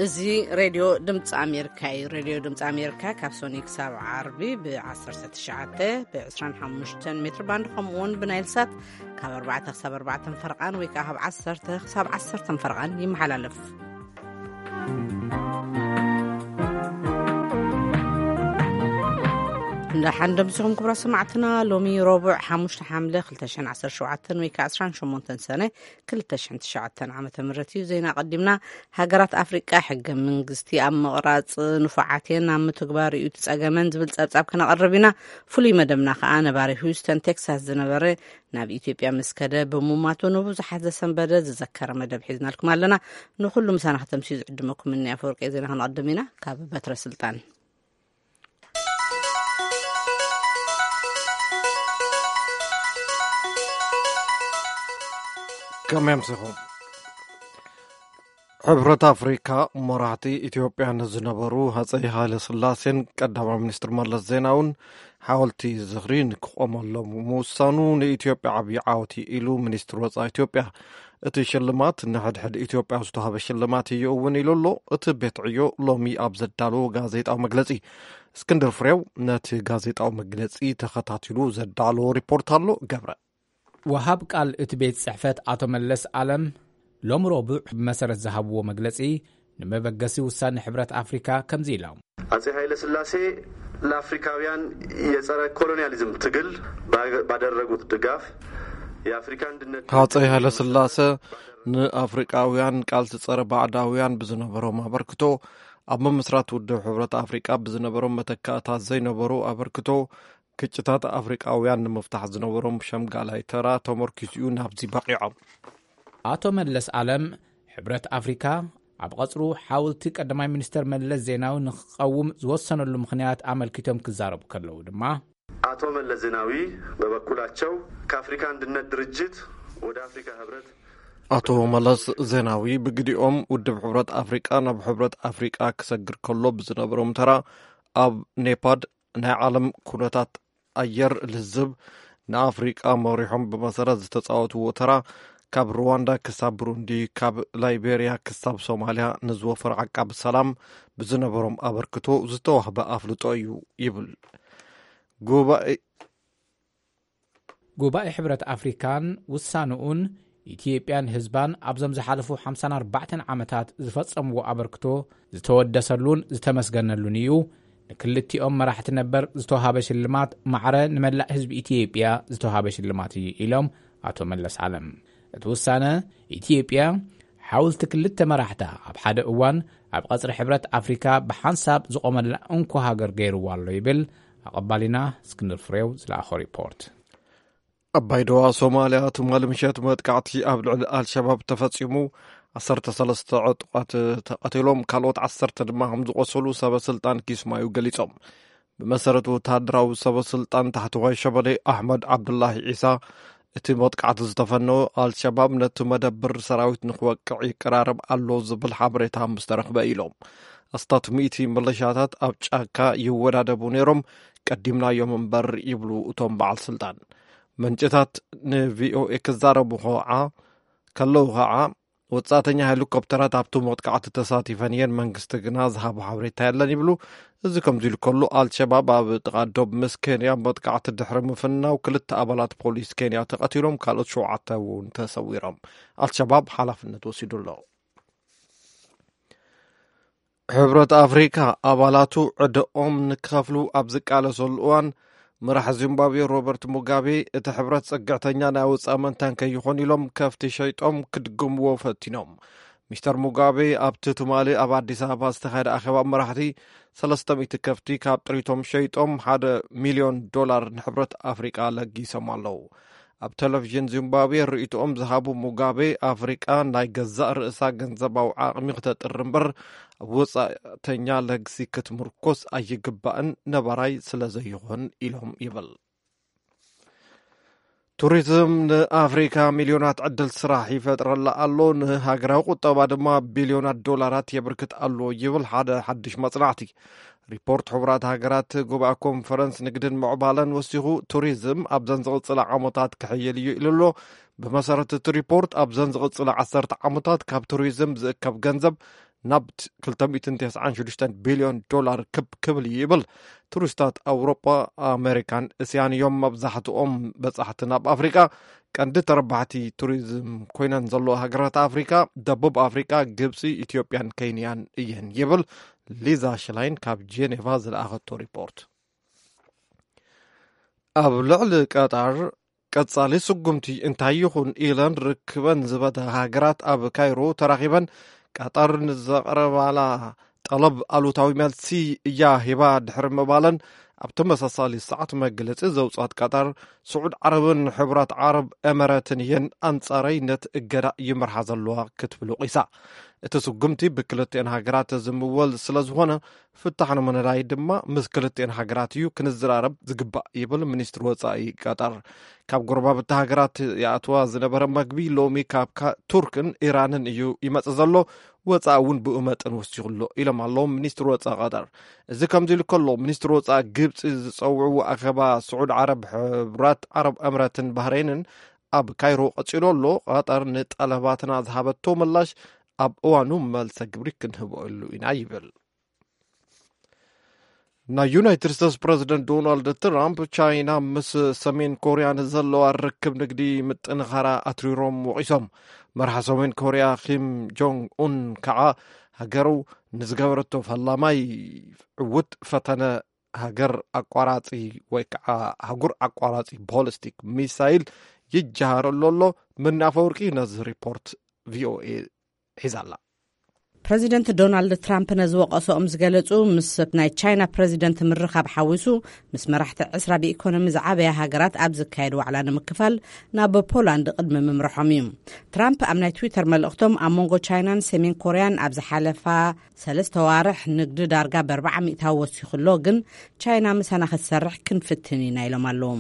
እዚ ሬድዮ ድምፂ ኣሜሪካ እዩ። ሬድዮ ድምፂ ኣሜሪካ ካብ ሶኒ ክሳብ ዓርቢ ብ19 ብ25 ሜትር ባንድ፣ ከምኡ እውን ብናይል ሳት ካብ ኣርባዕተ ክሳብ ኣርባዕተ ፈረቓን ወይ ከዓ ካብ ዓሰርተ ክሳብ ዓሰርተ ፈረቓን ይመሓላለፍ። እንዳ ሓንደምስኹም ክብራ ሰማዕትና፣ ሎሚ ረቡዕ ሓሙሽተ ሓምለ ክልተ ሽሕን ዓሰርተ ሸውዓተን ወይ ከዓ ዕስራን ሸሞንተን ሰነ ክልተ ሽሕን ትሽዓተን ዓመተ ምህረት እዩ። ዜና ቀዲምና። ሃገራት ኣፍሪቃ ሕገ መንግስቲ ኣብ ምቕራጽ ንፉዓት እየን፣ ኣብ ምትግባር እዩ እቲ ጸገመን ዝብል ጸብጻብ ክነቕርብ ኢና። ፍሉይ መደብና ከኣ ነባሪ ሂውስተን ቴክሳስ ዝነበረ ናብ ኢትዮጵያ ምስ ከደ ብሙማቱ ንብዙሓት ዘሰንበደ ዝዘከረ መደብ ሒዝናልኩም ኣለና። ንኹሉ ምሳና ከተምስዩ ዝዕድመኩም እኒ ኣፈወርቂ ዜና ክንቐድም ኢና። ካብ በትረ ስልጣን ከመይ ኣምሲኹም? ሕብረት ኣፍሪካ መራሕቲ ኢትዮጵያ ንዝነበሩ ሃፀይ ሃይለ ስላሴን ቀዳማይ ሚኒስትር መለስ ዜናውን ሓወልቲ ዝኽሪ ንክቆመሎም ምውሳኑ ንኢትዮጵያ ዓብዪ ዓወት ኢሉ ሚኒስትር ወፃኢ ኢትዮጵያ። እቲ ሽልማት ንሕድሕድ ኢትዮጵያ ዝተዋህበ ሽልማት እዩ እውን ኢሉ ኣሎ እቲ ቤት ዕዮ ሎሚ ኣብ ዘዳለዎ ጋዜጣዊ መግለፂ። እስክንድር ፍሬው ነቲ ጋዜጣዊ መግለፂ ተኸታቲሉ ዘዳለዎ ሪፖርት ኣሎ። ገብረ። ወሃብ ቃል እቲ ቤት ጽሕፈት ኣቶ መለስ ኣለም ሎም ረቡዕ ብመሰረት ዝሃብዎ መግለጺ፣ ንመበገሲ ውሳኔ ሕብረት ኣፍሪካ ከምዚ ኢሎም። አጼ ኃይለ ሥላሴ ለአፍሪካውያን የጸረ ኮሎኒያሊዝም ትግል ባደረጉት ድጋፍ የአፍሪካ አንድነት ሃፀይ ሃይለ ስላሰ ንኣፍሪቃውያን ቃልሲ ጸረ ባዕዳውያን ብዝነበሮም ኣበርክቶ፣ ኣብ ምምስራት ውድብ ሕብረት ኣፍሪቃ ብዝነበሮም መተካእታት ዘይነበሩ ኣበርክቶ፣ ግጭታት ኣፍሪቃውያን ንምፍታሕ ዝነበሮም ሸምጋላይ ተራ ተመርኪሱ እዩ ናብዚ በቒዖም። ኣቶ መለስ ኣለም፣ ሕብረት ኣፍሪካ ኣብ ቐፅሩ ሓውልቲ ቀዳማይ ሚኒስተር መለስ ዜናዊ ንክቐውም ዝወሰነሉ ምኽንያት ኣመልኪቶም ክዛረቡ ከለዉ ድማ፣ አቶ መለስ ዜናዊ በበኩላቸው ከአፍሪካ አንድነት ድርጅት ወደ አፍሪካ ህብረት ኣቶ መለስ ዜናዊ ብግዲኦም ውድብ ሕብረት ኣፍሪቃ ናብ ሕብረት ኣፍሪቃ ክሰግር ከሎ ብዝነበሮም ተራ ኣብ ኔፓድ ናይ ዓለም ኩነታት ኣየር ልዝብ ንኣፍሪቃ መሪሖም ብመሰረት ዝተፃወትዎ ተራ ካብ ሩዋንዳ ክሳብ ብሩንዲ፣ ካብ ላይቤርያ ክሳብ ሶማልያ ንዝወፈሩ ዓቃቢ ሰላም ብዝነበሮም ኣበርክቶ ዝተዋህበ ኣፍልጦ እዩ ይብል። ጉባኤ ጉባኤ ሕብረት ኣፍሪካን ውሳንኡን ኢትዮጵያን ህዝባን ኣብዞም ዝሓለፉ ሓምሳን ኣርባዕተን ዓመታት ዝፈጸምዎ ኣበርክቶ ዝተወደሰሉን ዝተመስገነሉን እዩ። ንክልቲኦም መራሕቲ ነበር ዝተውሃበ ሽልማት ማዕረ ንመላእ ህዝቢ ኢትዮጵያ ዝተውሃበ ሽልማት እዩ ኢሎም ኣቶ መለስ ዓለም። እቲ ውሳነ ኢትዮጵያ ሓውልቲ ክልተ መራሕታ ኣብ ሓደ እዋን ኣብ ቐፅሪ ሕብረት ኣፍሪካ ብሓንሳብ ዝቖመላ እንኮ ሃገር ገይርዋ ኣሎ ይብል ኣቐባሊና እስክንድር ፍሬው ዝለኣኾ ሪፖርት። ኣባይ ደዋ ሶማልያ ትማሊ ምሸት መጥቃዕቲ ኣብ ልዕሊ ኣልሸባብ ተፈጺሙ፣ ዓሰርተ ሰለስተ ዕጡቓት ተቐቲሎም፣ ካልኦት ዓሰርተ ድማ ከም ዝቖሰሉ ሰበ ስልጣን ኪስማዩ ገሊጾም። ብመሰረት ወተሃደራዊ ሰበ ስልጣን ታሕተዋይ ሸበሌ ኣሕመድ ዓብዱላሂ ዒሳ፣ እቲ መጥቃዕቲ ዝተፈነወ ኣልሸባብ ነቲ መደብር ሰራዊት ንክወቅዕ ይቀራረብ ኣሎ ዝብል ሓበሬታ ምስ ተረኽበ ኢሎም። ኣስታት ሚእቲ ሚሊሻታት ኣብ ጫካ ይወዳደቡ ነይሮም፣ ቀዲምናዮም እምበር ይብሉ እቶም በዓል ስልጣን። ምንጭታት ንቪኦኤ ክዛረቡ ከውዓ ከለዉ ከዓ፣ ወጻእተኛ ሄሊኮፕተራት ኣብቲ መጥቃዕቲ ተሳቲፈን እየን፣ መንግስቲ ግና ዝሃቦ ሓበሬታ የለን ይብሉ። እዚ ከምዚ ኢሉ ከሎ፣ ኣልሸባብ ኣብ ጥቓ ዶብ ምስ ኬንያ መጥቃዕቲ ድሕሪ ምፍናው፣ ክልተ ኣባላት ፖሊስ ኬንያ ተቐቲሎም፣ ካልኦት ሸውዓተ እውን ተሰዊሮም። ኣልሸባብ ሓላፍነት ወሲዱ ኣሎ። ሕብረት ኣፍሪካ ኣባላቱ ዕደኦም ንክኸፍሉ ኣብ ዝቃለሰሉ እዋን፣ መራሒ ዚምባብዌ ሮበርት ሙጋቤ፣ እቲ ሕብረት ጽግዕተኛ ናይ ወጻኢ መንታን ከይኾን ኢሎም ከፍቲ ሸይጦም ክድግምዎ ፈቲኖም። ሚስተር ሙጋቤ ኣብቲ ትማሊ ኣብ ኣዲስ ኣበባ ዝተኻየደ ኣኼባ መራሕቲ፣ ሰለስተ ሚእቲ ከፍቲ ካብ ጥሪቶም ሸይጦም ሓደ ሚልዮን ዶላር ንሕብረት ኣፍሪቃ ለጊሶም ኣለዉ። ኣብ ቴሌቪዥን ዚምባብዌ ርእይቶኦም ዝሃቡ ሙጋቤ፣ ኣፍሪቃ ናይ ገዛእ ርእሳ ገንዘባዊ ዓቕሚ ክተጥሪ እምበር፣ ኣብ ወጻእተኛ ለግሲ ክትምርኮስ ኣይግባእን፣ ነባራይ ስለ ዘይኾን ኢሎም ይብል። ቱሪዝም ንኣፍሪካ ሚልዮናት ዕድል ስራሕ ይፈጥረላ ኣሎ፣ ንሃገራዊ ቁጠባ ድማ ቢልዮናት ዶላራት የብርክት ኣሎ ይብል ሓደ ሓድሽ መጽናዕቲ። ሪፖርት ሕቡራት ሃገራት ጉባኤ ኮንፈረንስ ንግድን ምዕባለን ወሲኹ፣ ቱሪዝም ኣብዘን ዝቕጽላ ዓመታት ክሕይል እዩ ኢሉ ኣሎ። ብመሰረት እቲ ሪፖርት፣ ኣብዘን ዝቕጽላ ዓሰርተ ዓመታት ካብ ቱሪዝም ዝእከብ ገንዘብ ናብ ክልተ ሚእትን ተስዓን ሽዱሽተን ቢልዮን ዶላር ክብ ክብል እዩ ይብል። ቱሪስታት ኣውሮጳ፣ ኣሜሪካን እስያን እዮም። መብዛሕትኦም በጻሕቲ ናብ ኣፍሪቃ። ቀንዲ ተረባሕቲ ቱሪዝም ኮይነን ዘለዋ ሃገራት ኣፍሪቃ፣ ደቡብ ኣፍሪቃ፣ ግብጺ፣ ኢትዮጵያን ኬንያን እየን ይብል። ሊዛ ሽላይን ካብ ጄኔቫ ዝለኣኸቶ ሪፖርት። ኣብ ልዕሊ ቀጣር ቀጻሊ ስጉምቲ እንታይ ይኹን ኢለን ርክበን ዝበዳ ሃገራት ኣብ ካይሮ ተራኺበን፣ ቀጠር ንዘቕረባላ ጠለብ ኣሉታዊ መልሲ እያ ሂባ ድሕሪ ምባለን፣ ኣብ ተመሳሳሊ ሰዓት መግለጺ ዘውጻት ቀጠር፣ ስዑድ ዓረብን ሕቡራት ዓረብ ኤመረትን እየን ኣንጻራይነት እገዳ ይመርሓ ዘለዋ ክትብል ወቒሳ። እቲ ስጉምቲ ብክልቲኤን ሃገራት ዝምወል ስለ ዝኾነ፣ ፍታሕ ንምንዳይ ድማ ምስ ክልቲኤን ሃገራት እዩ ክንዘራረብ ዝግባእ ይብል ሚኒስትሪ ወጻኢ ቀጠር። ካብ ጎረባብቲ ሃገራት ይኣትዋ ዝነበረ መግቢ ሎሚ ካብ ካ-፣ ቱርክን ኢራንን እዩ ይመጽእ ዘሎ። ወጻኢ እውን ብኡ መጠን ወሲኹ ኣሎ ኢሎም ኣለዉ ሚኒስትሪ ወጻኢ ቀጠር። እዚ ከምዚ ኢሉ ከሎ፣ ሚኒስትሪ ወጻኢ ግብጺ ዝጸውዕዎ ኣኼባ ስዑድ ዓረብ፣ ሕቡራት ዓረብ ኤምረትን ባህሬንን ኣብ ካይሮ ቀጺሉ ኣሎ። ቀጠር ንጠለባትና ዝሃበቶ ምላሽ ኣብ እዋኑ መልሰ ግብሪ ክንህበሉ ኢና ይብል። ናይ ዩናይትድ ስቴትስ ፕረዚደንት ዶናልድ ትራምፕ፣ ቻይና ምስ ሰሜን ኮርያ ንዘለዋ ርክብ ንግዲ ምጥንኻራ ኣትሪሮም ወቒሶም። መርሓ ሰሜን ኮርያ ኪም ጆንግ ኡን ከዓ፣ ሃገሩ ንዝገበረቶ ፈላማይ ዕዉት ፈተነ ሃገር ኣቋራጺ ወይ ከዓ ሃጉር ኣቋራጺ ቦሊስቲክ ሚሳይል ይጀሃረሉ ኣሎ። ምናፈወርቂ ነዚ ሪፖርት ቪኦኤ ሒዛላ። ፕረዚደንት ዶናልድ ትራምፕ ነዚ ወቐሶኦም ዝገለጹ፣ ምስ ናይ ቻይና ፕረዚደንት ምርኻብ ሓዊሱ፣ ምስ መራሕቲ ዕስራ ብኢኮኖሚ ዝዓበያ ሃገራት ኣብ ዝካየድ ዋዕላ ንምክፋል ናብ ፖላንድ ቅድሚ ምምርሖም እዩ። ትራምፕ ኣብ ናይ ትዊተር መልእኽቶም፣ ኣብ መንጎ ቻይናን ሰሜን ኮርያን ኣብ ዝሓለፋ ሰለስተ ዋርሕ ንግዲ ዳርጋ ብኣርባዓ ሚእታዊ ወሲኹ ኣሎ፣ ግን ቻይና ምሳና ክትሰርሕ ክንፍትን ኢና ኢሎም ኣለዉ።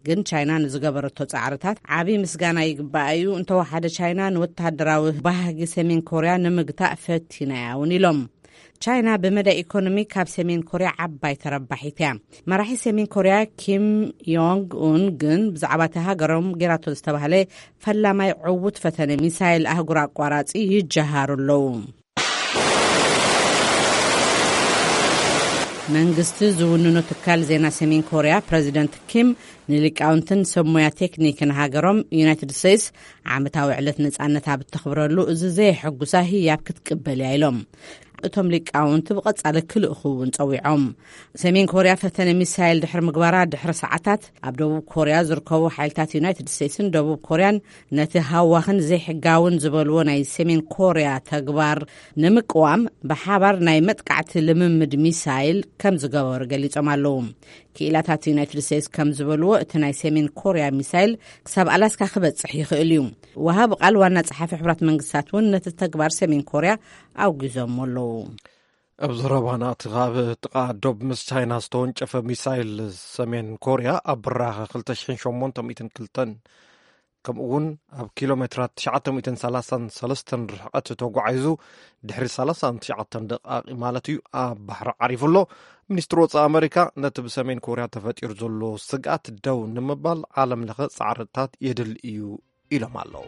ግን ቻይና ንዝገበረቶ ጻዕርታት ዓቢ ምስጋና ይግባኣ እዩ። እንተወሓደ ቻይና ንወተሃደራዊ ባህጊ ሰሜን ኮርያ ንምግታእ ፈቲና እያ እውን ኢሎም። ቻይና ብመዳይ ኢኮኖሚ ካብ ሰሜን ኮርያ ዓባይ ተረባሒት እያ። መራሒ ሰሜን ኮርያ ኪም ዮንግ ኡን ግን ብዛዕባ እቲ ሃገሮም ጌራቶ ዝተባህለ ፈላማይ ዕዉት ፈተነ ሚሳይል ኣህጉር ኣቋራጺ ይጀሃሩ ኣለዉ። መንግስቲ ዝውንኖ ትካል ዜና ሰሜን ኮርያ፣ ፕረዚደንት ኪም ንሊቃውንትን ሰብ ሞያ ቴክኒክን ሃገሮም፣ ዩናይትድ ስቴትስ ዓመታዊ ዕለት ነጻነት ኣብ እተኽብረሉ፣ እዚ ዘየሐጉሳ ህያብ ክትቅበል እያ ኢሎም። እቶም ሊቃውንቲ ብቐጻሊ ክልእኹ እውን ጸዊዖም። ሰሜን ኮርያ ፈተነ ሚሳይል ድሕሪ ምግባራ ድሕሪ ሰዓታት፣ ኣብ ደቡብ ኮርያ ዝርከቡ ሓይልታት ዩናይትድ ስቴትስን ደቡብ ኮርያን ነቲ ሃዋኽን ዘይሕጋውን ዝበልዎ ናይ ሰሜን ኮርያ ተግባር ንምቅዋም ብሓባር ናይ መጥቃዕቲ ልምምድ ሚሳይል ከም ዝገበሩ ገሊጾም ኣለዉ። ክኢላታት ዩናይትድ ስቴትስ ከም ዝበልዎ፣ እቲ ናይ ሰሜን ኮርያ ሚሳይል ክሳብ ኣላስካ ክበጽሕ ይኽእል እዩ። ወሃቢ ቃል ዋና ጸሓፊ ሕቡራት መንግስታት እውን ነቲ ተግባር ሰሜን ኮርያ ኣውጊዞም ኣለዉ። ኣብ ዘረባና፣ እቲ ካብ ጥቓ ዶብ ምስ ቻይና ዝተወንጨፈ ሚሳይል ሰሜን ኮርያ ኣብ ብራኸ ክልተ ሽሕን ሸሞንተ ሚእትን ክልተን፣ ከምኡ እውን ኣብ ኪሎ ሜትራት ትሽዓተ ሚእትን ሰላሳን ሰለስተን ርሕቀት ተጓዒዙ፣ ድሕሪ ሰላሳን ትሽዓተን ደቃቂ ማለት እዩ፣ ኣብ ባሕሪ ዓሪፉ ኣሎ። ሚኒስትሪ ወጻኢ ኣመሪካ፣ ነቲ ብሰሜን ኮርያ ተፈጢሩ ዘሎ ስግኣት ደው ንምባል ዓለም ለኸ ጻዕርታት የድሊ እዩ ኢሎም ኣለዉ።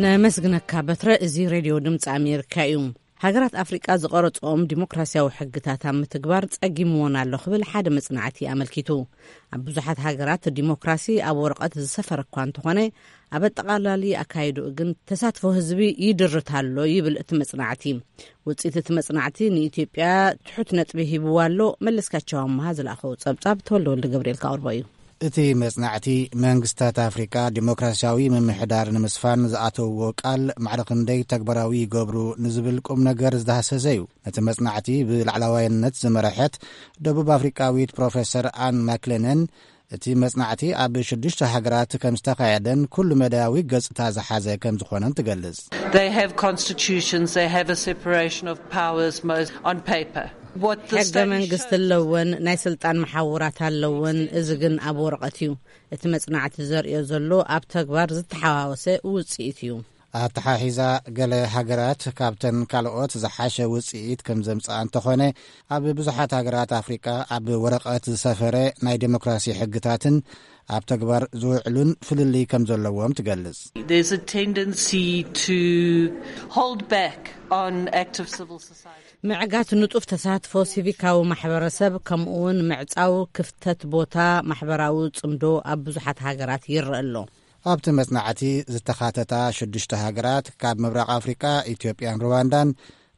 ነመስግነካ በትረ። እዚ ሬድዮ ድምፂ ኣሜሪካ እዩ። ሃገራት ኣፍሪቃ ዝቐረፅኦም ዲሞክራሲያዊ ሕግታት ኣብ ምትግባር ጸጊምዎን ኣሎ ክብል ሓደ መጽናዕቲ ኣመልኪቱ። ኣብ ብዙሓት ሃገራት ዲሞክራሲ ኣብ ወረቐት ዝሰፈረ እኳ እንተኾነ፣ ኣብ ኣጠቓላሊ ኣካይድኡ ግን ተሳትፎ ህዝቢ ይድርት ኣሎ ይብል እቲ መጽናዕቲ። ውጽኢት እቲ መጽናዕቲ ንኢትዮጵያ ትሑት ነጥቢ ሂብዋ ኣሎ። መለስካቸው ኣመሃ ዝለኣኸዎ ጸብጻብ ተወልደ ወልደ ገብርኤል ከቕርቦ እዩ። እቲ መጽናዕቲ፣ መንግስታት ኣፍሪቃ ዲሞክራሲያዊ ምምሕዳር ንምስፋን ዝኣተውዎ ቃል ማዕረ ክንደይ ተግባራዊ ይገብሩ ንዝብል ቁም ነገር ዝዳህሰሰ እዩ። ነቲ መጽናዕቲ ብላዕላዋይነት ዝመረሐት ደቡብ ኣፍሪቃዊት ፕሮፌሰር ኣን ማክለነን፣ እቲ መጽናዕቲ ኣብ ሽዱሽተ ሃገራት ከም ዝተኻየደን ኩሉ መዳያዊ ገጽታ ዝሓዘ ከም ዝኾነን ትገልጽ። They have constitutions, they have a separation of powers most on paper. What the ሕገ state መንግስቲ shows ኣለወን፣ ናይ ስልጣን መሓውራት ኣለወን። እዚ ግን ኣብ ወረቐት እዩ። እቲ መጽናዕቲ ዘርእዮ ዘሎ ኣብ ተግባር ዝተሓዋወሰ ውጽኢት እዩ። ኣተሓሒዛ፣ ገለ ሃገራት ካብተን ካልኦት ዝሓሸ ውጽኢት ከም ዘምጽኣ እንተኾነ፣ ኣብ ብዙሓት ሃገራት ኣፍሪቃ ኣብ ወረቐት ዝሰፈረ ናይ ዴሞክራሲ ሕግታትን ኣብ ተግባር ዝውዕሉን ፍልልይ ከም ዘለዎም ትገልጽ። There's a tendency to hold back on active civil society. ምዕጋት ንጡፍ ተሳትፎ ሲቪካዊ ማሕበረሰብ፣ ከምኡውን ምዕጻው ክፍተት ቦታ ማሕበራዊ ጽምዶ ኣብ ብዙሓት ሃገራት ይረአ ኣሎ። ኣብቲ መጽናዕቲ ዝተኻተታ ሽዱሽተ ሃገራት፣ ካብ ምብራቕ ኣፍሪቃ ኢትዮጵያን ሩዋንዳን፣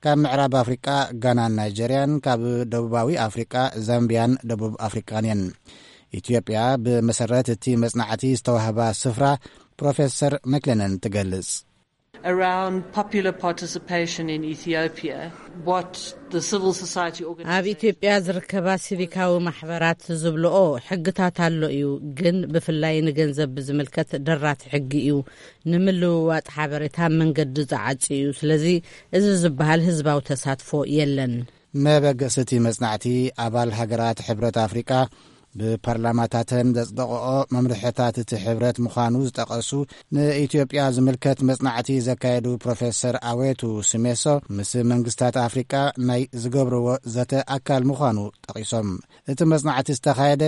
ካብ ምዕራብ ኣፍሪቃ ጋናን ናይጀርያን፣ ካብ ደቡባዊ ኣፍሪቃ ዛምቢያን ደቡብ ኣፍሪቃን እየን። ኢትዮጵያ፣ ብመሰረት እቲ መጽናዕቲ ዝተዋህባ ስፍራ፣ ፕሮፌሰር መክለነን ትገልጽ። Around popular participation in Ethiopia, what the civil society organization ኣብ ኢትዮጵያ ዝርከባ ሲቪካዊ ማሕበራት ዝብልኦ ሕግታት ኣሎ እዩ፣ ግን ብፍላይ ንገንዘብ ብዝምልከት ደራቲ ሕጊ እዩ። ንምልውዋጥ ሓበሬታ መንገዲ ዝዓጽ እዩ። ስለዚ፣ እዚ ዝበሃል ህዝባዊ ተሳትፎ የለን። መበገሲ እቲ መጽናዕቲ፣ ኣባል ሃገራት ሕብረት ኣፍሪቃ ብፓርላማታተን ዘጽደቐኦ መምርሕታት እቲ ሕብረት ምዃኑ ዝጠቐሱ፣ ንኢትዮጵያ ዝምልከት መጽናዕቲ ዘካየዱ ፕሮፌሰር ኣዌቱ ስሜሶ፣ ምስ መንግስታት ኣፍሪቃ ናይ ዝገብርዎ ዘተ ኣካል ምዃኑ ጠቒሶም። እቲ መጽናዕቲ ዝተኻየደ፣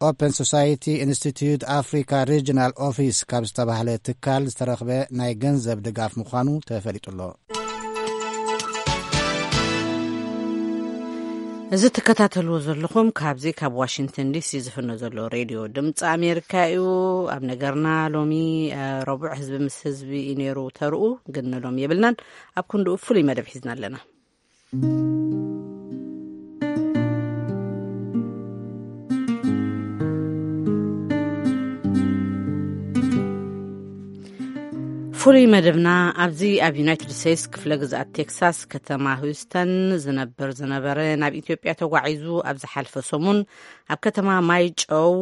ኦፕን ሶሳይቲ ኢንስቲትዩት ኣፍሪካ ሪጅናል ኦፊስ ካብ ዝተባህለ ትካል ዝተረኽበ ናይ ገንዘብ ድጋፍ ምዃኑ ተፈሊጡ ኣሎ። እዚ ትከታተልዎ ዘለኹም ካብዚ ካብ ዋሽንግተን ዲሲ ዝፍኖ ዘሎ ሬድዮ ድምፂ ኣሜሪካ እዩ። ኣብ ነገርና ሎሚ፣ እ፣ ረቡዕ ህዝቢ ምስ ህዝቢ እዩ ነይሩ ተርኡ፣ ግን ንሎም የብልናን። ኣብ ክንድኡ ፍሉይ መደብ ሒዝና ኣለና። ፍሉይ መደብና ኣብዚ ኣብ ዩናይትድ ስቴትስ ክፍለ ግዝኣት ቴክሳስ ከተማ ሂውስተን ዝነብር ዝነበረ ናብ ኢትዮጵያ ተጓዒዙ ኣብ ዝሓልፈ ሰሙን ኣብ ከተማ ማይጨው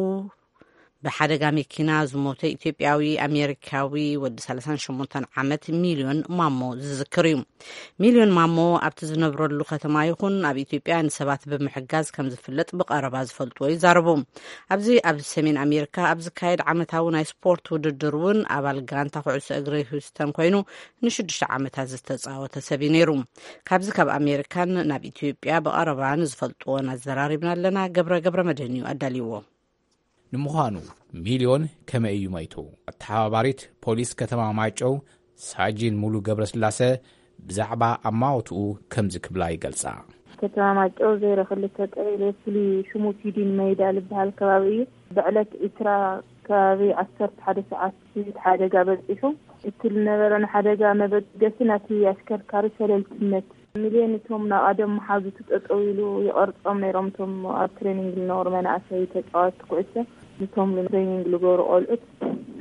ብሓደጋ መኪና ዝሞተ ኢትዮጵያዊ ኣሜሪካዊ ወዲ ሰላሳን ሸሞንተን ዓመት ሚልዮን ማሞ ዝዝክር እዩ። ሚልዮን ማሞ ኣብቲ ዝነብረሉ ከተማ ይኹን ኣብ ኢትዮጵያ ንሰባት ብምሕጋዝ ከም ዝፍለጥ ብቐረባ ዝፈልጥዎ ይዛረቡ። ኣብዚ ኣብ ሰሜን ኣሜሪካ ኣብ ዝካየድ ዓመታዊ ናይ ስፖርት ውድድር እውን ኣባል ጋንታ ኩዕሶ እግሪ ሂውስተን ኮይኑ ንሽዱሽተ ዓመታት ዝተጻወተ ሰብ እዩ ነይሩ። ካብዚ ካብ ኣሜሪካን ናብ ኢትዮጵያ ብቐረባ ንዝፈልጥዎን ኣዘራሪብና ኣለና። ገብረ ገብረ መድህን እዩ ኣዳልይዎ። ንምዃኑ ሚልዮን ከመይ እዩ መይቱ? ኣተሓባባሪት ፖሊስ ከተማ ማይጨው ሳጅን ሙሉ ገብረስላሰ ብዛዕባ ኣማውትኡ ከምዚ ክብላ ይገልጻ። ከተማ ማይጨው ዜሮ ክልተ ቀበሌ ፍሉይ ሽሙ ፊዲን መይዳ ዝበሃል ከባቢ እዩ። ብዕለት ዕስራ ከባቢ ዓሰርተ ሓደ ሰዓት እቲ ሓደጋ በጺሑ። እቲ ዝነበረ ንሓደጋ መበገሲ ናቲ ኣሽከርካሪ ሸለልትነት። ሚልዮን እቶም ናብ ቀደም መሓዙቱ ጠጠው ኢሉ ይቐርጾም ነይሮም። እቶም ኣብ ትሬኒንግ ዝነበሩ መናእሰይ ተጻወትቲ ኩዕሶ ንቶም ትሬኒንግ ዝገብሩ ቆልዑት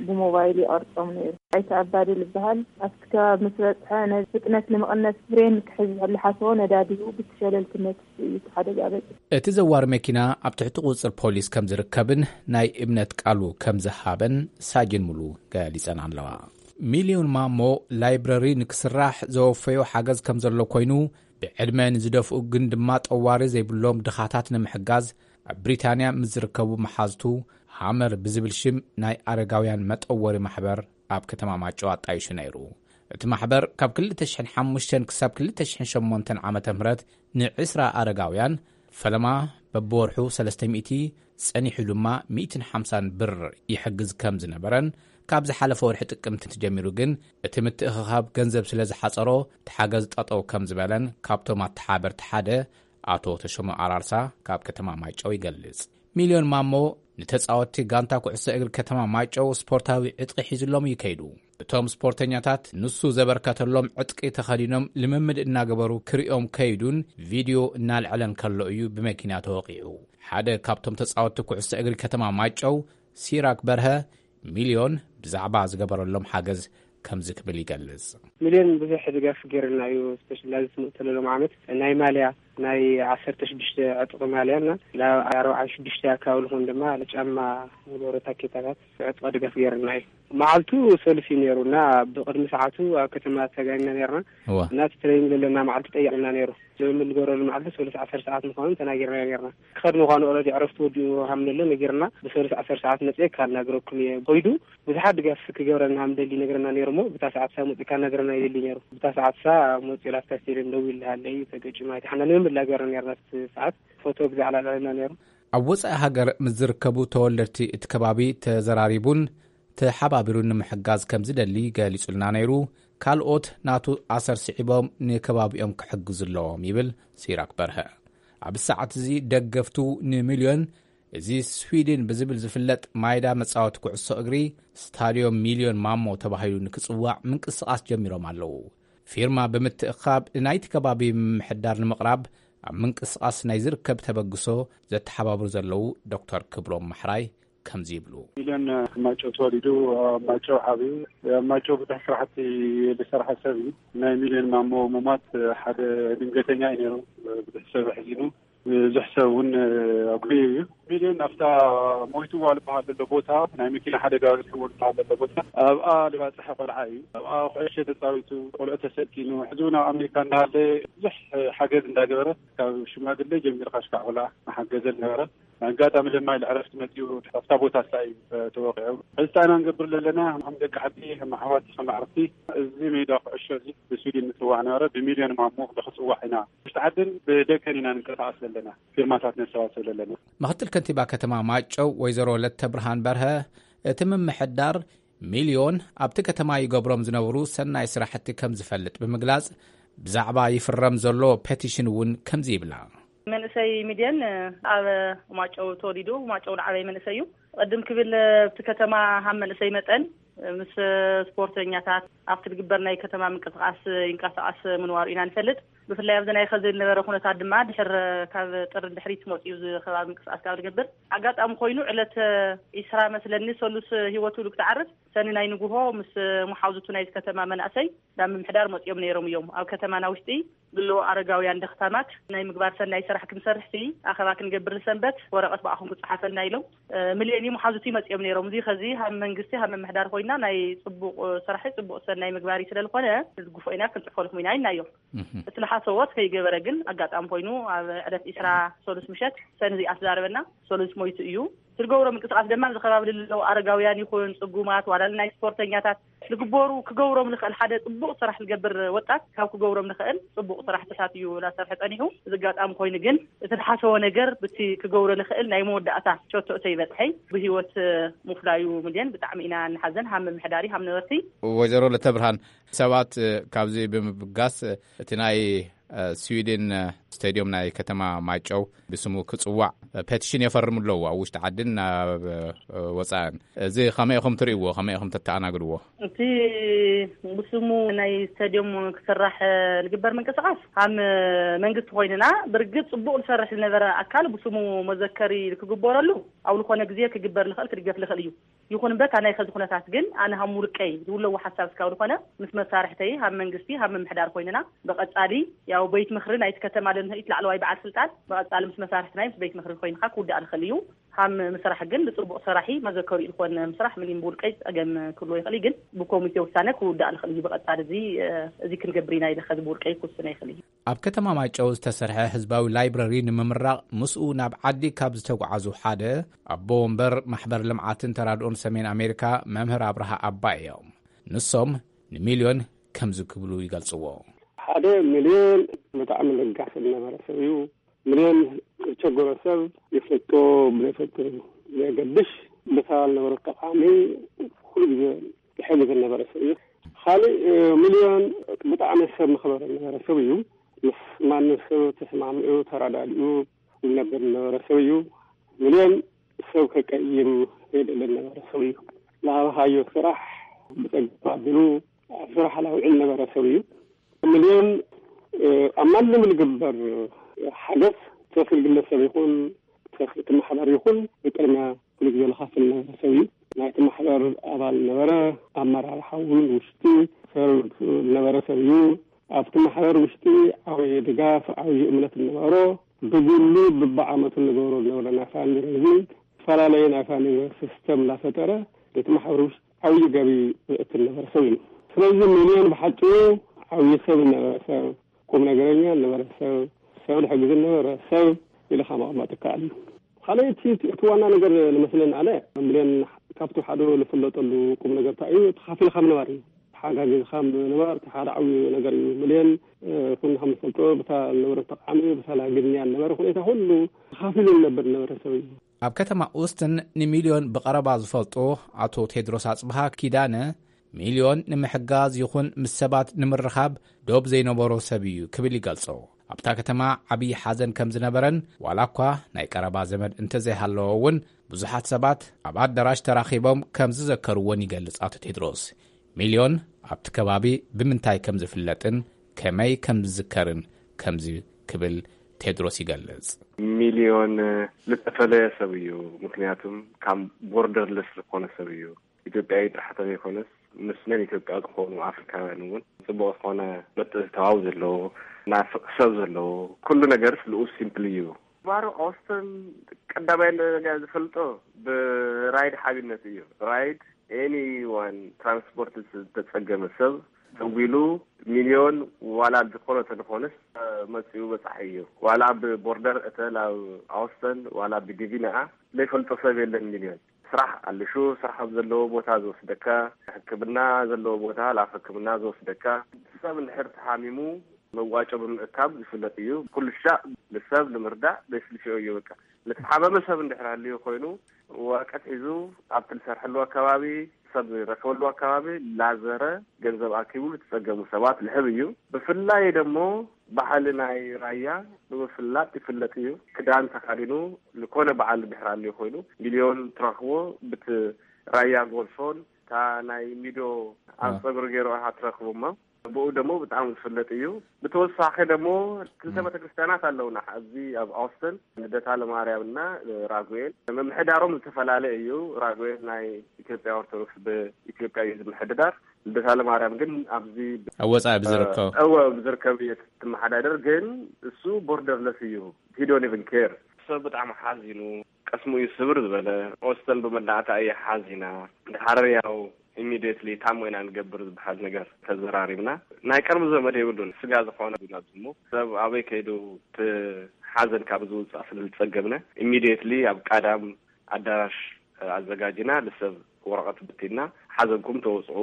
ብሞባይል ይቐርጾም ነይሩ። ኣይተ ኣባድል ይበሃል። ኣብቲ ከባቢ ምስ በጽሐ ነዚ ፍጥነት ንምቕነስ ፍሬን ክሕዝ ዝሓሰቦ ነዳዲኡ ብቲ ሸለልትነት እዩ እቲ ሓደጋ በጺሑ። እቲ ዘዋሪ መኪና ኣብ ትሕቲ ቁጽጽር ፖሊስ ከም ዝርከብን ናይ እምነት ቃሉ ከም ዝሃበን ሳጅን ሙሉ ገሊጸን ኣለዋ። ሚልዮን ማሞ ላይብረሪ ንክስራሕ ዘወፈዮ ሓገዝ ከም ዘሎ ኮይኑ፣ ብዕድመ ንዝደፍኡ ግን ድማ ጠዋሪ ዘይብሎም ድኻታት ንምሕጋዝ ኣብ ብሪታንያ ምስ ዝርከቡ መሓዝቱ ሃመር ብዝብል ሽም ናይ ኣረጋውያን መጠወሪ ማሕበር ኣብ ከተማ ማይጨው ኣጣይሹ ነይሩ። እቲ ማሕበር ካብ ክልተ ሽሕን ሓሙሽተን ክሳብ ክልተ ሽሕን ሸሞንተን ዓመተ ምህረት ንዕስራ ኣረጋውያን ፈለማ በብወርሑ ሰለስተ ሚእቲ፣ ጸኒሑ ድማ ሚእትን ሓምሳን ብር ይሕግዝ ከም ዝነበረን፣ ካብ ዝሓለፈ ወርሒ ጥቅምቲ ጀሚሩ ግን እቲ ምትእኽኻብ ገንዘብ ስለ ዝሓጸሮ፣ እቲ ሓገዝ ጠጠው ከም ዝበለን ካብቶም ኣተሓበርቲ ሓደ ኣቶ ተሾመ ኣራርሳ ካብ ከተማ ማይጨው ይገልጽ። ሚልዮን ማሞ ንተጻወትቲ ጋንታ ኩዕሶ እግሪ ከተማ ማይጨው ስፖርታዊ ዕጥቂ ሒዝሎም እዩ ከይዱ። እቶም ስፖርተኛታት ንሱ ዘበርከተሎም ዕጥቂ ተኸዲኖም ልምምድ እናገበሩ ክሪኦም ከይዱን ቪድዮ እናልዐለን ከሎ እዩ ብመኪና ተወቒዑ። ሓደ ካብቶም ተጻወትቲ ኩዕሶ እግሪ ከተማ ማይጨው ሲራክ በርሀ ሚልዮን ብዛዕባ ዝገበረሎም ሓገዝ ከምዚ ክብል ይገልጽ። ሚልዮን ብዙሕ ድጋፍ ገይርና እዩ። ስፔሻሊ ኣብዚ ትምህርቲ ዘለሎም ዓመት ናይ ማልያ ናይ ዓሰርተ ሽዱሽተ ዕጥቂ ማልያ እና ናብ ኣርባዓ ሽዱሽተ ኣካባቢ ዝኾን ድማ ጫማ ንገብሮ ታኬታታት ዕጥቂ ድጋፍ ገይርና እዩ። መዓልቱ ሰሉስ እዩ ነይሩ እና ብቕድሚ ሰዓቱ ኣብ ከተማ ተጋኒና ነርና። እዋ። እና እቲ ትሬኒንግ ዘለና መዓልቲ ጠይቕና ነይሩ። ልምምድ ንገብረሉ መዓልቲ ሰሉስ ዓሰርተ ሰዓት ምዃኑ ተናጊርና ነርና። ክኸድ ምዃኑ ኦረዲ ዕረፍቲ ወዲኡ ሃምነሎ ነጊርና። ብሰሉስ ዓሰርተ ሰዓት መፅኤ ካናግረኩም እየ። ኮይዱ ብዙሓት ድጋፍ ክገብረና ሃምደሊ ነግረና ነይሩ እሞ ብታ ሰዓት ሳ መፅእ ካናግረና ይደሊ ነይሩ። ብታ ሰዓት ሳ መፅኡ ላፍታ ስቴድየም ደው ይልሃለይ ተገጭ ማየት ሓና ንምምላገር ነርና። ሰዓት ፎቶ ብዛዕላ ለና ነይሩ። ኣብ ወጻኢ ሃገር ምስ ዝርከቡ ተወለድቲ እቲ ከባቢ ተዘራሪቡን ተሓባቢሩን ንምሕጋዝ ከም ዝደሊ ገሊጹልና ነይሩ። ካልኦት ናቱ ኣሰር ስዒቦም ንከባቢኦም ክሕግዙ ኣለዎም ይብል ሲራክ በርሀ። ኣብ ሰዓት እዚ ደገፍቱ ንሚልዮን፣ እዚ ስዊድን ብዝብል ዝፍለጥ ማይዳ መጻወቲ ኩዕሶ እግሪ፣ ስታድዮም ሚልዮን ማሞ ተባሂሉ ንክጽዋዕ ምንቅስቓስ ጀሚሮም ኣለዉ። ፊርማ ብምትእኻብ ንናይቲ ከባቢ ምምሕዳር ንምቕራብ ኣብ ምንቅስቓስ ናይ ዝርከብ ተበግሶ ዘተሓባብሩ ዘለዉ ዶክተር ክብሮም ማሕራይ ከምዚ ይብሉ። ሚልዮን ማጨው ተወሊዱ፣ ኣብ ማጨው ዓብዩ፣ ኣብ ማጨው ብዙሕ ስራሕቲ ዝሰርሐ ሰብ እዩ። ናይ ሚልዮን ማሞ ሙማት ሓደ ድንገተኛ እዩ ነይሩ። ብዙሕ ሰብ ኣሕዚኑ፣ ብዙሕ ሰብ እውን ኣጉልዩ እዩ። ሚልዮን ኣብታ ሞይትዋ ዝበሃል ዘሎ ቦታ፣ ናይ መኪና ሓደጋ በፂሕዎ ዝበሃል ዘሎ ቦታ፣ ኣብኣ ዝበፅሐ ቆልዓ እዩ። ኣብኣ ኩዕሾ ተፃዊቱ፣ ቆልዑ ተሰኪኑ፣ ሕዚ እውን ኣብ ኣሜሪካ እንዳሃለ ብዙሕ ሓገዝ እንዳገበረ፣ ካብ ሽማግለ ጀሚርካ ሽካዕ ቆልዓ መሓገዘ ነበረ። ኣጋጣሚ ድማ ኢሉ ዕረፍቲ መፂኡ ኣብታ ቦታ ስላ እዩ ተወቂዑ። ሕዚ እንታይ ኢና ንገብር ዘለና? ከም ደቂ ዓዲ፣ ከም ኣሕዋት፣ ከም ኣዕርክቲ፣ እዚ ሜዳ ኩዕሾ እዚ ብስዊድን ንፅዋዕ ነበረ፣ ብሚልዮን ማሞ ንክፅዋዕ ኢና። ውሽጢ ዓድን ብደገን ኢና ንንቀሳቐስ ዘለና፣ ፊርማታት ነሰባስብ ዘለና። ምክትል ከንቲባ ከተማ ማጨው ወይዘሮ ለተብርሃን በርሀ፣ እቲ ምምሕዳር ሚልዮን ኣብቲ ከተማ ይገብሮም ዝነበሩ ሰናይ ስራሕቲ ከም ዝፈልጥ ብምግላጽ፣ ብዛዕባ ይፍረም ዘሎ ፔቲሽን እውን ከምዚ ይብላ። መንእሰይ ሚልዮን ኣብ ማጨው ተወሊዱ፣ ማጨው ዝዓበየ መንእሰይ እዩ። ቅድም ክብል ኣብቲ ከተማ ሃም መንእሰይ መጠን ምስ ስፖርተኛታት ኣብቲ ዝግበር ናይ ከተማ ምንቅስቃስ ይንቀሳቀስ ምንዋሩ ኢና ንፈልጥ። ብፍላይ ኣብዚ ናይ ኸዚ ዝነበረ ኩነታት ድማ ድሕር ካብ ጥሪ ድሕሪት መፅኡ እዚ ከባቢ ምንቅስቃስ ካብ ዝገብር ኣጋጣሚ ኮይኑ ዕለት ዒስራ መስለኒ ሰሉስ ህይወቱ ኢሉ ክትዓርፍ ሰኒ ናይ ንጉሆ ምስ መሓውዝቱ ናይቲ ከተማ መናእሰይ ናብ ምምሕዳር መፅኦም ነይሮም እዮም። ኣብ ከተማና ውሽጢ ብሎ ኣረጋውያን ደኽታማት ናይ ምግባር ሰናይ ስራሕ ክንሰርሕ ሲ ኣኸባ ክንገብር ንሰንበት ወረቐት ብኣኹም ክፀሓፈልና ኢሎም። ምልዮን መሓዙቲ መፅኦም ነይሮም። እዚ ኸዚ ሃብ መንግስቲ ሃብ ምምሕዳር ኮይና ናይ ፅቡቕ ስራሕ ፅቡቕ ሰናይ ምግባር እዩ ስለ ዝኾነ ንዝግፎ ኢና ክንፅሕፈልኩም ኢና ኢልናዮም። እቲ ልሓሰቦት ከይገበረ ግን ኣጋጣሚ ኮይኑ ኣብ ዕለት ዒስራ ሰሉስ ምሸት ሰኒ እዚኣ ትዛረበና ሰሉስ ሞይቱ እዩ። ትገብሮ ምንቅስቃስ ድማ ኣብዚ ከባቢ ለለዉ ኣረጋውያን ይኹን ፅጉማት ዋላ ናይ ስፖርተኛታት ልግበሩ ክገብሮም ልኽእል ሓደ ፅቡቕ ስራሕ ዝገብር ወጣት ካብ ክገብሮም ልኽእል ፅቡቕ ስራሕትታት እዩ ላሰርሐ ፀኒሑ። እዚ ኣጋጣሚ ኮይኑ ግን እቲ ዝሓሰቦ ነገር ብቲ ክገብሮ ልኽእል ናይ መወዳእታ ሸቶ እተይበፅሐይ ብህይወት ምፍላዩ ምልዮን ብጣዕሚ ኢና ንሓዘን ሃም ምምሕዳሪ ሃም ነበርቲ። ወይዘሮ ለተብርሃን ሰባት ካብዚ ብምብጋስ እቲ ናይ ስዊድን ስቴድዮም ናይ ከተማ ማይጨው ብስሙ ክፅዋዕ ፔቲሽን የፈርሙ ኣለዉ ኣብ ውሽጢ ዓድን ናብ ወፃእን። እዚ ከመይ ኢኹም ትርእይዎ? ከመይ ኢኹም ተተኣናግድዎ? እቲ ብስሙ ናይ ስቴድዮም ክስራሕ ዝግበር ምንቅስቃስ ሃም መንግስቲ ኮይንና ብርግፅ ፅቡቅ ዝሰርሕ ዝነበረ ኣካል ብስሙ መዘከሪ ክግበረሉ ኣብ ዝኾነ ግዜ ክግበር ልኽእል ክድገፍ ልኽእል እዩ። ይኹን እምበር እታ ናይ ኸዚ ኩነታት ግን ኣነ ሃም ውልቀይ ዝብለዎ ሓሳብ እስካብ ዝኾነ ምስ መሳርሕተይ ሃብ መንግስቲ ሃብ ምምሕዳር ኮይንና ብቐጻሊ ያው ቤት ምኽሪ ናይቲ ከተማ ለንህኢት ላዕለዋይ በዓል ስልጣን ብቐጻሊ ምስ መሳርሕትና ምስ ቤት ምኽሪ ኮይንካ ክውዳእ ልኽእል እዩ። ሃም ምስራሕ ግን ብፅቡቕ ሰራሒ መዘከሪኡ ዝኾነ ምስራሕ ምንም ብውልቀይ ፀገም ክብሎ ይኽእል እዩ፣ ግን ብኮሚቴ ውሳነ ክውዳእ ልኽእል እዩ። ብቐጻሊ እዚ እዚ ክንገብር ኢና ኢለ ኸዚ ብውልቀይ ክውስነ ይኽእል እዩ። ኣብ ከተማ ማይጨው ዝተሰርሐ ህዝባዊ ላይብረሪ ንምምራቕ ምስኡ ናብ ዓዲ ካብ ዝተጓዓዙ ሓደ ኣቦ ወንበር ማሕበር ልምዓትን ተራድኦን ሰሜን ኣሜሪካ መምህር ኣብርሃ ኣባይ እዮም። ንሶም ንሚልዮን ከምዚ ክብሉ ይገልጽዎ። ሓደ ሚልዮን ብጣዕሚ ለጋስ ዝነበረ ሰብ እዩ። ሚልዮን ዝቸገሮ ሰብ ይፈቶ ብዘይፈቶ ዘየገድሽ ብሰባ ዝነበረ ጠቃሚ ኩሉ ግዜ ይሕግዝ ዝነበረ ሰብ እዩ። ካልእ ሚልዮን ብጣዕሚ ሰብ መኽበሪ ዝነበረ ሰብ እዩ። ምስ ማንም ሰብ ተስማሚዑ ተረዳዲኡ ዝነብር ዝነበረ ሰብ እዩ። ሚልዮን ሰብ ከቀይም ዘይደሊ ዝነበረ ሰብ እዩ። ዝሃብኻዮ ስራሕ ብፀጋ ኣቢሉ ኣብ ስራሕ ላውዕል ነበረ ሰብ እዩ። ሚልዮን ኣብ ማንም ዝግበር ሓገዝ ሰፊ ግለሰብ ይኹን ሰፊ እቲ ማሕበር ይኹን ብቅድሚያ ኩሉ ግዜ ዝኸፍል ነበረ ሰብ እዩ። ናይቲ ማሕበር ኣባል ነበረ፣ ኣመራርሓ እውን ውሽጢ ዝነበረ ሰብ እዩ። ኣብቲ ማሕበር ውሽጢ ዓብዪ ድጋፍ፣ ዓብዪ እምነት ነበሮ። ብግሉ ብብዓመቱ ንገብሮ ዝነበረ ናይ ፋንድሬዚንግ፣ ዝተፈላለየ ናይ ፋንድሬዚንግ ሲስተም እናፈጠረ እቲ ማሕበር ውሽጢ ዓብዪ ገቢ ዘእቲ ነበረ ሰብ እዩ። ስለዚ ሚልዮን ብሓጭሩ ዓብዪ ሰብ ነበረ ሰብ፣ ቁም ነገረኛ ነበረ ሰብ፣ ሰብ ዝሕግዝ ነበረ ሰብ ኢልካ መቐመጥ ይከኣል እዩ። ካልኣይ እቲ እቲ ዋና ነገር ዝመስለኒ ኣነ፣ ሚልዮን ካብቲ ሓደ ዝፍለጠሉ ቁም ነገር እንታይ እዩ? ተኻፊልካ ምንባር እዩ። ተሓጋጊዝካ ምንባር እቲ ሓደ ዓብዪ ነገር እዩ። ሚልዮን ኩሉ ከም ንፈልጦ ብታ ነበረ ተቃሚ ብታ ላግድንያ ነበረ ሁኔታ ሁሉ ተኻፊሉ ዝነብር ነበረ ሰብ እዩ። ኣብ ከተማ ኡስትን ንሚልዮን ብቐረባ ዝፈልጦ ኣቶ ቴድሮስ ኣጽብሃ ኪዳነ፣ ሚልዮን ንምሕጋዝ ይኹን ምስ ሰባት ንምርኻብ ዶብ ዘይነበሮ ሰብ እዩ ክብል ይገልጾ። ኣብታ ከተማ ዓብዪ ሓዘን ከም ዝነበረን፣ ዋላ እኳ ናይ ቀረባ ዘመድ እንተዘይሃለዎ እውን፣ ብዙሓት ሰባት ኣብ ኣዳራሽ ተራኺቦም ከም ዝዘከርዎን ይገልጽ ኣቶ ቴድሮስ። ሚልዮን ኣብቲ ከባቢ ብምንታይ ከም ዝፍለጥን ከመይ ከም ዝዝከርን ከምዚ ክብል ቴድሮስ ይገልጽ። ሚልዮን ዝተፈለየ ሰብ እዩ። ምክንያቱም ካብ ቦርደርለስ ዝኾነ ሰብ እዩ። ኢትዮጵያዊ ጥራሕ ዘይኮነስ፣ ምስ ነን ኢትዮጵያ ዝኾኑ ኣፍሪካውያን እውን ጽቡቕ ዝኾነ ምትእትታው ዘለዎ፣ ናፍቕ ሰብ ዘለዎ፣ ኩሉ ነገርስ ልኡስ ሲምፕል እዩ። ባሮ ኦስተን ቀዳማይ ነገር ዝፈልጦ ብራይድ ሓቢነት እዩ። ራይድ ኤኒ ዋን ትራንስፖርት ዝተጸገመ ሰብ ደዊሉ፣ ሚልዮን ዋላ ዝኾነ ተንኾንስ መጺኡ በጻሒ እዩ። ዋላ ብቦርደር እተ ላብ ኣውስተን ዋላ ብዲቪ ነኣ ዘይፈልጦ ሰብ የለን። ሚልዮን ስራሕ ኣልሹ፣ ስራሕ ኣብ ዘለዎ ቦታ ዝወስደካ፣ ሕክምና ዘለዎ ቦታ ላብ ሕክምና ዝወስደካ፣ ሰብ እንድሕር ተሓሚሙ መዋጮ ብምእካብ ዝፍለጥ እዩ። ኩሉ ሻዕ ንሰብ ንምርዳእ በስልሽዮ እዩ። በቃ፣ ንተሓመመ ሰብ እንድሕር ሃልዩ ኮይኑ፣ ወረቀት ሒዙ ኣብቲ ዝሰርሐሉ ኣከባቢ፣ ሰብ ዝረከበሉ ኣከባቢ ላዘረ ገንዘብ ኣኪቡ ንተጸገሙ ሰባት ልሕብ እዩ። ብፍላይ ደሞ ባህሊ ናይ ራያ ብምፍላጥ ይፍለጥ እዩ። ክዳን ተኻዲኑ፣ ዝኾነ በዓል እንድሕር ሃልዩ ኮይኑ፣ ሚልዮን ትረኽቦ ብቲ ራያ ጎልፎን፣ እታ ናይ ሚዶ ኣብ ጸጉሪ ገይሩ ኢኻ ትረኽቦ እሞ፣ ብኡ ደሞ ብጣዕሚ ዝፍለጥ እዩ። ብተወሳኺ ደሞ ክልተ ቤተክርስትያናት ኣለውና ኣብዚ ኣብ ኣውስተን፣ ልደታ ለማርያምና ራጉኤል። ምምሕዳሮም ዝተፈላለየ እዩ። ራጉኤል ናይ ኢትዮጵያ ኦርቶዶክስ ብኢትዮጵያ እዩ ዝምሕድዳር። ልደታ ለማርያም ግን ኣብዚ ኣብ ወጻኢ ብዝርከቡ። እወ፣ ብዝርከብ እዩ ትመሓዳደር፣ ግን እሱ ቦርደርለስ እዩ። He don't even care። ሰብ ብጣዕሚ ሓዚኑ፣ ቀስሙ እዩ ስብር ዝበለ። ኦስተን ብመዳእታ እየ ሓዚና። ድሓር ያው ኢሚዲየትሊ ታሞ ኢና ንገብር ዝበሃል ነገር ተዘራሪብና። ናይ ቀርቢ ዘመድ የብሉን፣ ስጋ ዝኾነ ኣብዚ እሞ ሰብ ኣበይ ከይዱ እቲ ሓዘን ካብ ዝውጻእ ስለ ዝጸገብነ፣ ኢሚዲየትሊ ኣብ ቀዳም ኣዳራሽ ኣዘጋጅና ንሰብ ወረቐት ብቲና፣ ሓዘንኩም ተወጽኡ፣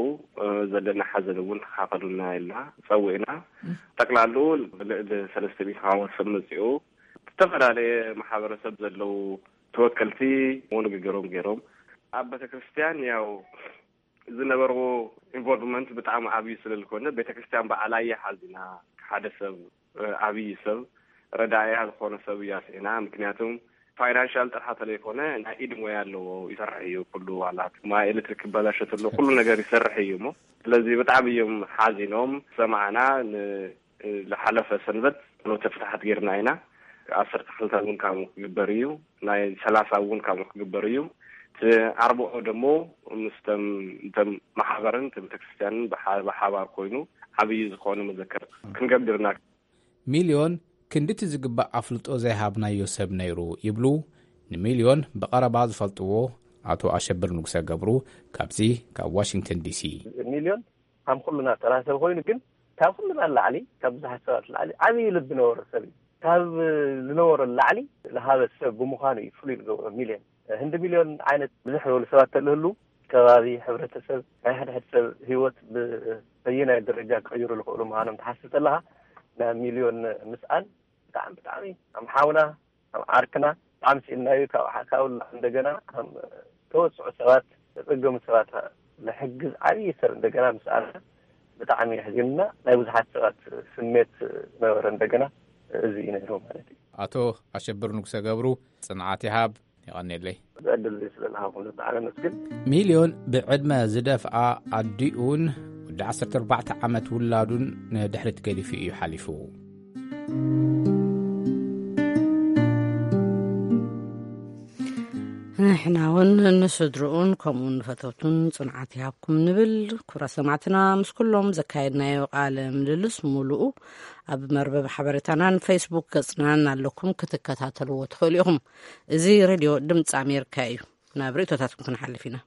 ዘለና ሓዘን እውን ተኻፈሉና ኢልና ጸዊዕና። ጠቅላሉ ልዕሊ ሰለስተ ሚእቲ ክኸውን ሰብ መጺኡ፣ ዝተፈላለየ ማሕበረሰብ ዘለዉ ተወከልቲ ንግግሮም ገይሮም። ኣብ ቤተክርስትያን ያው ዝነበርዎ ኢንቮልቭመንት ብጣዕሚ ዓብዪ ስለ ዝኾነ፣ ቤተክርስትያን በዓላ እየ ሓዚና። ሓደ ሰብ፣ እ፣ ዓብዪ ሰብ፣ ረዳእያ ዝኾነ ሰብ እዩ ኣስዒና። ምክንያቱም ፋይናንሻል ጥራሕ ተለይኮነ፣ ናይ ኢድ ሞያ ኣለዎ፣ ይሰርሕ እዩ። ኩሉ ዋላ ማይ ኤሌክትሪክ ክበላሸ ተሎ ኩሉ ነገር ይሰርሕ እዩ እሞ፣ ስለዚ ብጣዕሚ እዮም ሓዚኖም። ሰማዕና ን-፣ ዝሓለፈ ሰንበት ኖተ ፍትሓት ጌርና ኢና። ዓሰርተ ክልተ እውን ካብኡ ክግበር እዩ፣ ናይ ሰላሳ እውን ካብኡ ክግበር እዩ። እቲ ኣርብዖ ደሞ ምስቶም፣ እንቶም ማሕበርን እቲ ቤተክርስትያንን ብሓ-፣ ብሓባር ኮይኑ ዓብዪ ዝኾነ መዘከር ክንገብር ኢና። ሚልዮን ክንድቲ ዝግባእ ኣፍልጦ ዘይሃብናዮ ሰብ ነይሩ ይብሉ ንሚልዮን ብቐረባ ዝፈልጥዎ ኣቶ ኣሸብር ንጉሰ ገብሩ ካብዚ ካብ ዋሽንግተን ዲሲ። ሚልዮን ከም ኩሉና ተራ ሰብ ኮይኑ፣ ግን ካብ ኩሉና ላዕሊ፣ ካብ ብዙሓት ሰባት ላዕሊ ዓብዪ ልቢ ነበሮ ሰብ እዩ። ካብ ዝነበሮ ላዕሊ ዝሃበ ሰብ ብምዃኑ እዩ ፍሉይ ዝገብሮ ሚልዮን። ህንዲ ሚልዮን ዓይነት ብዙሕ ዝበሉ ሰባት ተልህሉ፣ ከባቢ፣ ሕብረተሰብ፣ ናይ ሓደ ሓደ ሰብ ህይወት ብበየናይ ደረጃ ክቕይሩ ዝኽእሉ ምዃኖም ትሓስብ ከለኻ፣ ናይ ሚልዮን ምስኣን ብጣዕሚ፣ ብጣዕሚ ከም ሓውና፣ ከም ዓርክና ብጣዕሚ ስኢንናዩ። ካብ ሓ-፣ ካብ ላ-፣ እንደገና ከም ተወስዑ ሰባት፣ ተጸገሙ ሰባት ዝሕግዝ ዓብዪ ሰብ እንደገና ምስኣና ብጣዕሚ የሕዚንና። ናይ ብዙሓት ሰባት ስሜት ነበረ እንደገና እዚ እዩ ነይሩ ማለት እዩ። ኣቶ ኣሸብር ንጉሰ ገብሩ፣ ጽንዓት ይሃብ። የቐንየለይ። እዚ ዕድል እዚ ስለ ዝሃብኩም ብጣዕሚ ኣመስግን። ሚልዮን ብዕድመ ዝደፍኣ ኣዲኡን ወዲ ዓሰርተ ኣርባዕተ ዓመት ውላዱን ንድሕሪት ገዲፉ እዩ ሓሊፉ። ንሕና እውን ንስድርኡን ከምኡ ንፈተውቱን ጽንዓት ይሃብኩም ንብል። ክቡራት ሰማዕትና፣ ምስ ኩሎም ዘካየድናዮ ቃለ ምልልስ ሙሉኡ ኣብ መርበብ ሓበሬታናን ፌስቡክ ገጽናን ኣለኩም ክትከታተልዎ ትኽእሉ ኢኹም። እዚ ሬድዮ ድምፂ ኣሜሪካ እዩ። ናብ ርእቶታትኩም ክንሓልፍ ኢና።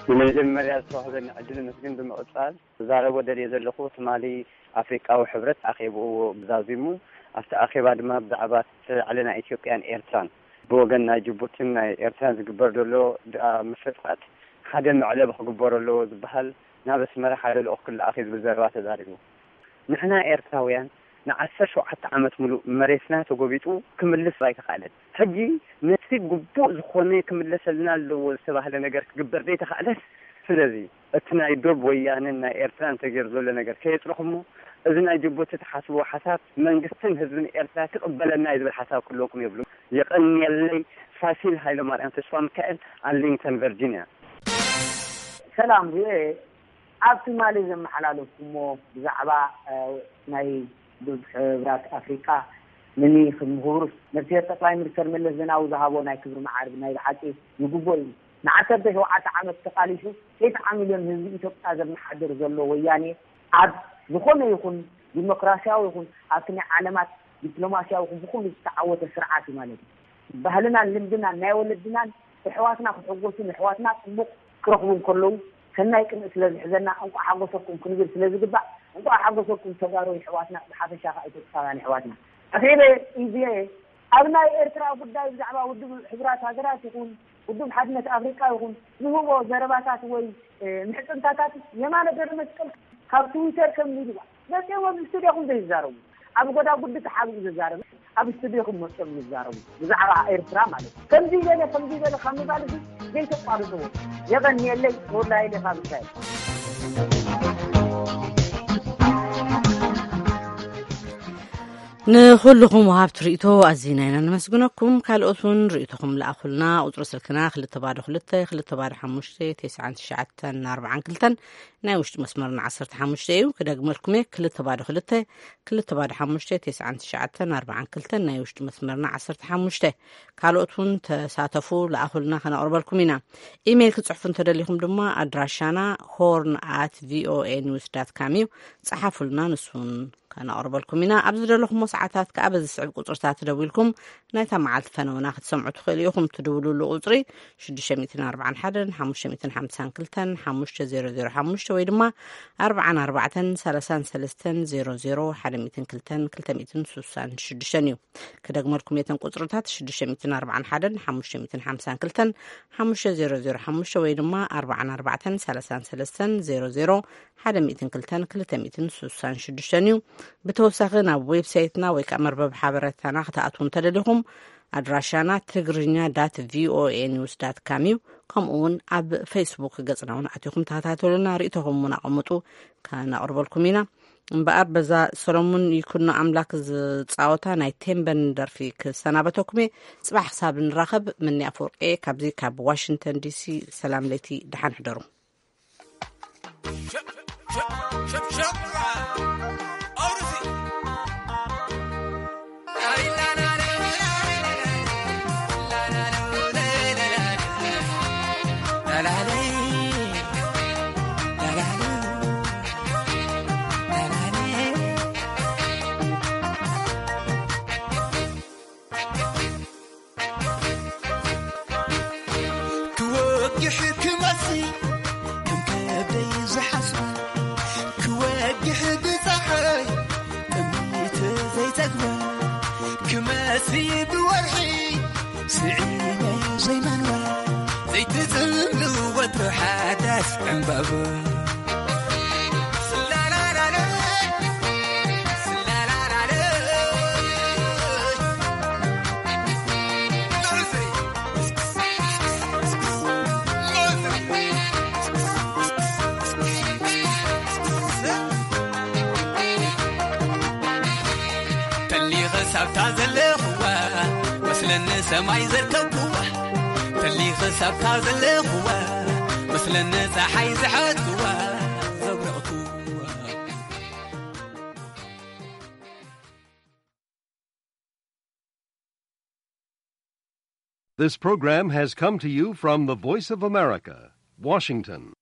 ብመጀመርያ ዝተዋህበኒ ዕድል ምስግን ብምቕጻል፣ ክዛረቦ ደልየ ዘለኹ ትማሊ ኣፍሪቃዊ ሕብረት ኣኼብኡ ዛዚሙ፣ ኣብቲ ኣኼባ ድማ ብዛዕባ እቲ ዕለ ናይ ኢትዮጵያን ኤርትራን ብወገን ናይ ጅቡቲን ናይ ኤርትራን ዝግበር ዘሎ ድ-፣ ምፍጥቃት ሓደ መዕለቢ ክግበሮ ኣለዎ ዝበሃል፣ ናብ ኣስመራ ሓደ ልኡኽ ክለኣኽ እዩ ዝብል ዘረባ ተዛሪቡ። ንሕና ኤርትራውያን ንዓሰርተ ሸውዓተ ዓመት ሙሉእ መሬትና ተጎቢጡ ክምልስ ኣይተኻእለን። ሕጂ ነቲ ግቡእ ዝኾነ ክምለሰልና ኣለዎ ዝተባህለ ነገር ክግበር ዘይተኻእለን። ስለዚ እቲ ናይ ዶብ ወያነን ናይ ኤርትራን ተገይሩ ዘሎ ነገር ከየጽረኹሞ፣ እዚ ናይ ጅቡቲ ትሓስብዎ ሓሳብ መንግስትን ህዝብን ኤርትራ ክቕበለና እዩ ዝብል ሓሳብ ክህልወኩም የብሉን። የቐንየለይ። ፋሲል ሃይለማርያም ተስፋ ሚካኤል፣ ኣርሊንግተን ቨርጂንያ። ሰላም ቪኦኤ፣ ኣብ ትማሊ ዘመሓላለፍኩሞ ብዛዕባ፣ እ፣ ናይ ውድብ ሕብራት ኣፍሪቃ ንኒ ክምሁር ነፍስሄር ጠቅላይ ሚኒስተር መለስ ዜናዊ ዝሃቦ ናይ ክብሪ መዓርግ ናይ ብሓቂ ይግቦ እዩ። ንዓሰርተ ሸውዓተ ዓመት ተቃሊሱ ሸይተ ሚልዮን ህዝቢ ኢትዮጵያ ዘመሓድር ዘሎ ወያኔ ኣብ ዝኾነ ይኹን ዲሞክራሲያዊ ይኹን ኣብቲ ናይ ዓለማት ዲፕሎማሲያዊ ይኹን ብኩሉ ዝተዓወተ ስርዓት እዩ ማለት እዩ። ባህልናን ልምድናን ናይ ወለድናን ኣሕዋትና ክሕጎሱን ኣሕዋትና ጽቡቕ ክረኽቡ እንከለዉ ሰናይ ቅንኢ ስለ ዝሕዘና እንቋዕ ሓጎሰኩም ክንብል ስለ ዝግባእ እንቋዕ ሓጎሰኩም ተጋሩ ኣሕዋትና ብሓፈሻ ከኣ ኢትዮጵያውያን ኣሕዋትና። ኣኼበ ኢዜ ኣብ ናይ ኤርትራ ጉዳይ ብዛዕባ ውድብ ሕቡራት ሃገራት ይኹን ውድብ ሓድነት ኣፍሪቃ ይኹን ዝህቦ ዘረባታት ወይ፣ እ፣ ምሕጽንታታት የማነ ገብረመስቀል ካብ ትዊተር ከም ሚድዋ መጺኦም ኣብዚ ስቱድዮኹም ዘይዛረቡ፣ ኣብ ጎዳጉዲ ተሓቢኡ ዝዛረብ ኣብ ስቱድዮኹም መጺኦም ይዛረቡ ብዛዕባ ኤርትራ ማለት እዩ። ከምዚ ይበለ ከምዚ ይበለ ካብ ምባል እዚ ዘይተቋርጽዎ። የቐንየለይ። ተወላይለ ካብ እስራኤል። ንኹልኹም ወሃብቲ ርእይቶ ኣዚና ኢና ነመስግነኩም። ካልኦት እውን ርእይቶኹም ለኣኹልና። ቁጽሪ ስልክና ክልተ ባዶ ክልተ፣ ክልተ ባዶ ሓሙሽተ፣ ተስዓን ትሽዓተን ኣርባዓን ክልተን፣ ናይ ውሽጢ መስመርና ዓሰርተ ሓሙሽተ እዩ። ክደግመልኩም እየ፣ ክልተ ባዶ ክልተ፣ ክልተ ባዶ ሓሙሽተ፣ ተስዓን ትሽዓተን ኣርባዓን ክልተን፣ ናይ ውሽጢ መስመርና ዓሰርተ ሓሙሽተ። ካልኦት እውን ተሳተፉ፣ ለኣኹልና፣ ከነቕርበልኩም ኢና። ኢሜይል ክጽሕፉ እንተደሊኹም ድማ ኣድራሻና ሆርን ኣት ቪኦኤ ኒውስ ዳት ካም እዩ። ጸሓፉልና፣ ንሱን ከነቕርበልኩም ኢና። ኣብ ዝደለኹሞ ሰዓታት ከኣ በዚ ስዕብ ቁጽርታት ደዊልኩም ናይታ መዓልቲ ፈነውና ክትሰምዑ ትኽእሉ ኢኹም። ትድውሉሉ ቁጽሪ ሽዱሽተ ሚእትን ኣርባዓን ሓደን ሓሙሽተ ሚእትን ሓምሳን ክልተን ሓሙሽተ ዜሮ ዜሮ ሓሙሽተ ወይ ድማ ኣርባዓን ኣርባዕተን ሰላሳን ሰለስተን ዜሮ ዜሮ ሓደ ሚእትን ክልተን ክልተ ሚእትን ስሳን ሽዱሽተን እዩ። ክደግመልኩም እየ እተን ቁጽርታት፣ ሽዱሽተ ሚእትን ኣርባዓን ሓደን ሓሙሽተ ሚእትን ሓምሳን ክልተን ሓሙሽተ ዜሮ ዜሮ ሓሙሽተ ወይ ድማ ኣርባዓን ኣርባዕተን ሰላሳን ሰለስተን ዜሮ ዜሮ ሓደ ሚእትን ክልተን ክልተ ሚእትን ስሳን ሽዱሽተን እዩ። ብተወሳኺ ናብ ዌብሳይትና ወይ ከኣ መርበብ ሓበሬታና ክትኣትዉ እንተደሊኹም ኣድራሻና ትግርኛ ዳት ቪኦኤ ኒውስ ዳት ካም እዩ። ከምኡ እውን ኣብ ፌስቡክ ገጽና እውን ኣቲኹም ተኸታተሉና፣ ርእይቶኹም እውን ኣቐምጡ፣ ከነቕርበልኩም ኢና። እምበኣር በዛ ሰሎሙን ይኩኖ ኣምላክ ዝጻወታ ናይ ቴምበን ደርፊ ክሰናበተኩም እየ። ጽባሕ ክሳብ ንራኸብ፣ ምኒ ኣፈወርቂ እየ ካብዚ ካብ ዋሽንግተን ዲሲ። ሰላም ለይቲ፣ ደሓን ሕደሩ። ክወግሕ ክመሲ ከም ከብደይ ዝሓስበ፣ ክወግሕ ብፀሓይ ጥሚት ዘይፀግበ፣ ክመሲ ብወርሒ ስዒመ ዘይመንበ፣ ዘይትፅምሉ ወትሩ ሓዳስ ዕምባባ። ተሊኸ ሳብታ ዘለኽዋ መስለኒ ሰማይ ዘርከብክዋ፣ ተሊኸ ሳብታ ዘለኽዋ መስለኒ ፀሓይ ዝሓትክዋ ዘብረቕክዋ። This program has come to you from the Voice of America, Washington.